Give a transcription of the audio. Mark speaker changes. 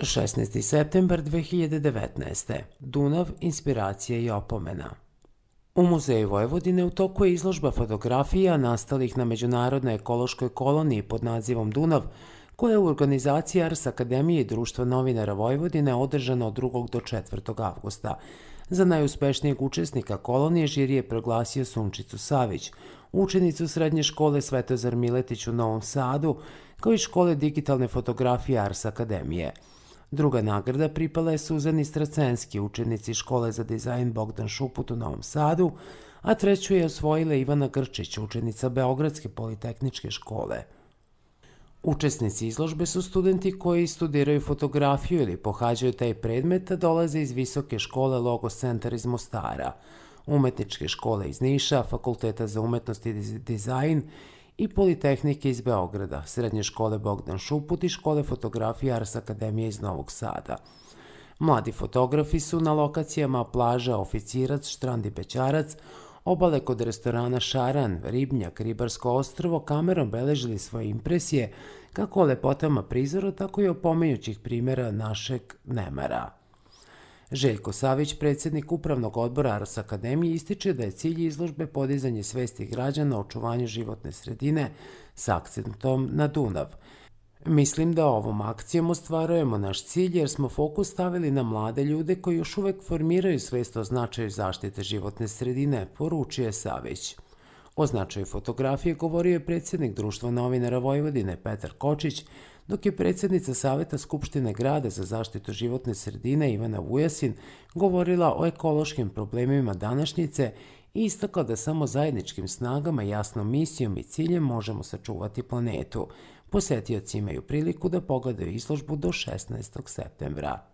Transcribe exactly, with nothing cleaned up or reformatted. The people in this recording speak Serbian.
Speaker 1: šesnaesti septembar dve hiljade devetnaeste. Dunav, inspiracija i opomena. U Muzeju Vojvodine u toku je izložba fotografija nastalih na Međunarodnoj ekološkoj koloniji pod nazivom Dunav, koja je u organizaciji Ars Akademije i Društva novinara Vojvodine održana od drugog do četvrtog avgusta. Za najuspešnijeg učesnika kolonije žiri je proglasio Sunčicu Savić, učenicu srednje škole Svetozar Miletić u Novom Sadu, kao i škole digitalne fotografije Ars Akademije. Druga nagrada pripala je Suzani Stracenski, učenici škole za dizajn Bogdan Šuput u Novom Sadu, a treću je osvojila Ivana Grčić, učenica Beogradske politehničke škole. Učesnici izložbe su studenti koji studiraju fotografiju ili pohađaju taj predmet, a dolaze iz Visoke škole Logos centar iz Mostara, Umetničke škole iz Niša, Fakulteta za umetnost i dizajn i Politehnike iz Beograda, Srednje škole Bogdan Šuput i Škole fotografije Ars Akademije iz Novog Sada. Mladi fotografi su na lokacijama plaža Oficirac, Štrand i Bećarac, obale kod restorana Šaran, Ribnjak, Ribarsko ostrvo kamerom beležili svoje impresije kako o lepotama prizora, tako i o pomenjućih primjera našeg nemara. Željko Savić, predsjednik Upravnog odbora Ars Akademije, ističe da je cilj izložbe podizanje svesti građana o očuvanju životne sredine s akcentom na Dunav. Mislim da ovom akcijom ostvarujemo naš cilj jer smo fokus stavili na mlade ljude koji još uvek formiraju svest o značaju zaštite životne sredine, poručio je Savić. O značaju fotografije govorio je predsjednik Društva novinara Vojvodine Petar Kočić, dok je predsjednica Saveta Skupštine grada za zaštitu životne sredine Ivana Vujasin govorila o ekološkim problemima današnjice i istakla da samo zajedničkim snagama, jasnom misijom i ciljem možemo sačuvati planetu. Posetioci imaju priliku da pogledaju izložbu do šesnaestog septembra.